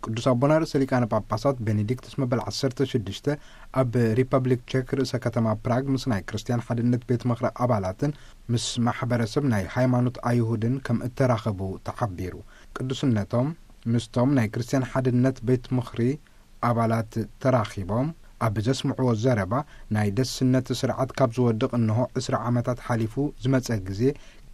ቅዱስ ኣቦና ርእሰ ሊቃነ ጳጳሳት ቤኔዲክቱስ መበል ዓሰርተ ሽዱሽተ ኣብ ሪፐብሊክ ቼክ ርእሰ ከተማ ፕራግ ምስ ናይ ክርስትያን ሓድነት ቤት ምኽሪ ኣባላትን ምስ ማሕበረሰብ ናይ ሃይማኖት ኣይሁድን ከም እተራኸቡ ተሓቢሩ። ቅዱስነቶም ምስቶም ናይ ክርስትያን ሓድነት ቤት ምኽሪ ኣባላት ተራኺቦም ኣብ ዘስምዕዎ ዘረባ፣ ናይ ደስነት ስርዓት ካብ ዝወድቕ እንሆ ዕስራ ዓመታት ሓሊፉ ዝመጸ ግዜ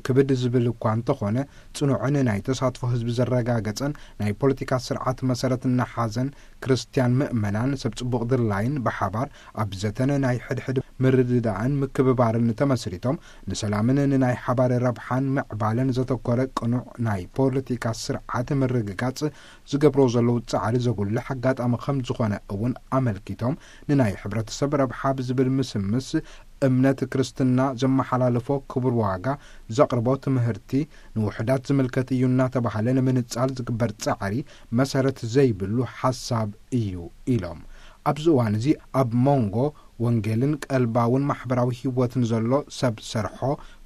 ክብድ ዝብል እኳ እንተኾነ፣ ጽኑዕን ናይ ተሳትፎ ህዝቢ ዘረጋገጸን ናይ ፖለቲካ ስርዓት መሰረት እናሓዘን፣ ክርስትያን ምእመናን ሰብ ጽቡቕ ድላይን ብሓባር ኣብ ዘተነ ናይ ሕድሕድ ምርድዳእን ምክብባርን ተመስሪቶም ንሰላምን ንናይ ሓባር ረብሓን ምዕባለን ዘተኮረ ቅኑዕ ናይ ፖለቲካ ስርዓት ምርግጋጽ ዝገብሮ ዘለዉ ጻዕሪ ዘጉልሕ ኣጋጣሚ ከም ዝኾነ እውን ኣመልኪቶም፣ ንናይ ሕብረተሰብ ረብሓ ብዝብል ምስምስ እምነት ክርስትና ዘመሓላለፎ ክቡር ዋጋ ዘቕርቦ ትምህርቲ ንውሑዳት ዝምልከት እዩ እናተባህለ ንምንጻል ዝግበር ጻዕሪ መሰረት ዘይብሉ ሓሳብ እዩ ኢሎም። ኣብዚ እዋን እዚ ኣብ መንጎ ወንጌልን ቀልባውን ማሕበራዊ ህይወትን ዘሎ ሰብ ሰርሖ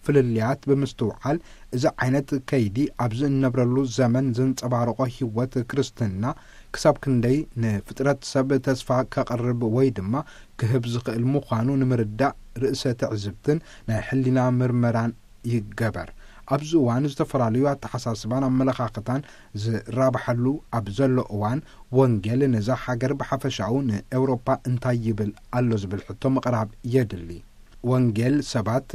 ፍልልያት ብምስትውዓል፣ እዚ ዓይነት ከይዲ ኣብዚ እንነብረሉ ዘመን ዘንጸባርቖ ህይወት ክርስትና ክሳብ ክንደይ ንፍጥረት ሰብ ተስፋ ከቕርብ ወይ ድማ ክህብ ዝኽእል ምዃኑ ንምርዳእ ርእሰ ትዕዝብትን ናይ ሕሊና ምርመራን ይገበር። ኣብዚ እዋን ዝተፈላለዩ ኣተሓሳስባን ኣመለኻኽታን ዝራባሓሉ ኣብ ዘሎ እዋን፣ ወንጌል ነዛ ሃገር ብሓፈሻኡ ንኤውሮፓ እንታይ ይብል ኣሎ ዝብል ሕቶ ምቕራብ የድሊ። ወንጌል ሰባት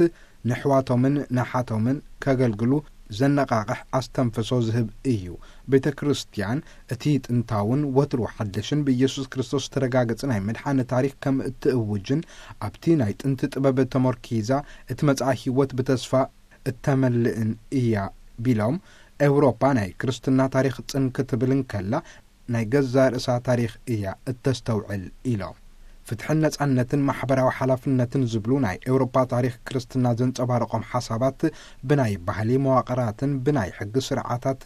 ንሕዋቶምን ንሓቶምን ከገልግሉ ዘነቓቕሕ ኣስተንፍሶ ዝህብ እዩ። ቤተ ክርስቲያን እቲ ጥንታውን ወትሩ ሓደሽን ብኢየሱስ ክርስቶስ ዝተረጋገጸ ናይ ምድሓን ታሪኽ ከም እትእውጅን ኣብቲ ናይ ጥንቲ ጥበብ ተመርኪዛ እቲ መጻኢ ህይወት ብተስፋ እተመልእን እያ ቢሎም፣ ኤውሮፓ ናይ ክርስትና ታሪኽ ጽን ክትብል እንከላ ናይ ገዛእ ርእሳ ታሪኽ እያ እተስተውዕል ኢሎም። ፍትሕን ነጻነትን ማሕበራዊ ሓላፍነትን ዝብሉ ናይ ኤውሮፓ ታሪኽ ክርስትና ዘንጸባረቖም ሓሳባት ብናይ ባህሊ መዋቕራትን ብናይ ሕጊ ስርዓታት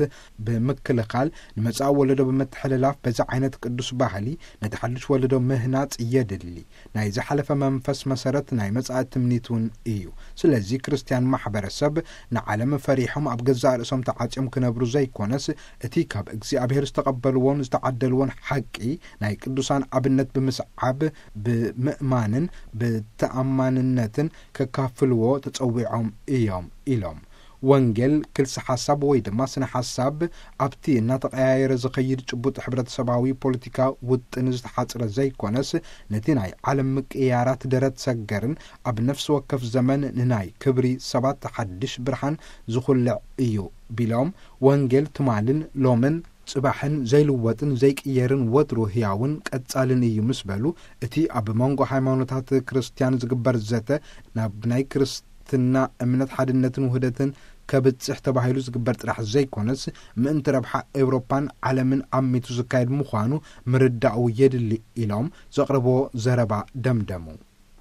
ብምክልኻል ንመጻኢ ወለዶ ብምትሕልላፍ በዚ ዓይነት ቅዱስ ባህሊ ነቲ ሓድሽ ወለዶ ምህናጽ የድሊ። ናይ ዝሓለፈ መንፈስ መሰረት ናይ መጻኢ ትምኒት እውን እዩ። ስለዚ ክርስትያን ማሕበረሰብ ንዓለም ፈሪሖም ኣብ ገዛእ ርእሶም ተዓጽዮም ክነብሩ ዘይኮነስ እቲ ካብ እግዚኣብሔር ዝተቐበልዎን ዝተዓደልዎን ሓቂ ናይ ቅዱሳን ኣብነት ብምስዓብ ብምእማንን ብተኣማንነትን ከካፍልዎ ተጸዊዖም እዮም ኢሎም። ወንጌል ክልሲ ሓሳብ ወይ ድማ ስነ ሓሳብ ኣብቲ እናተቐያየረ ዝኸይድ ጭቡጥ ሕብረተሰባዊ ፖለቲካ ውጥን ዝተሓጽረ ዘይኮነስ ነቲ ናይ ዓለም ምቅያራት ደረት ሰገርን ኣብ ነፍሲ ወከፍ ዘመን ንናይ ክብሪ ሰባት ሓድሽ ብርሃን ዝኹልዕ እዩ ቢሎም፣ ወንጌል ትማልን ሎምን ጽባሕን ዘይልወጥን ዘይቅየርን ወትሩ ህያውን ቀጻልን እዩ ምስ በሉ፣ እቲ ኣብ መንጎ ሃይማኖታት ክርስትያን ዝግበር ዘተ ናብ ናይ ክርስትና እምነት ሓድነትን ውህደትን ከብጽሕ ተባሂሉ ዝግበር ጥራሕ ዘይኮነስ፣ ምእንቲ ረብሓ ኤውሮፓን ዓለምን ኣሚቱ ዝካየድ ምዃኑ ምርዳኡ የድሊ ኢሎም ዘቕረብዎ ዘረባ ደምደሙ።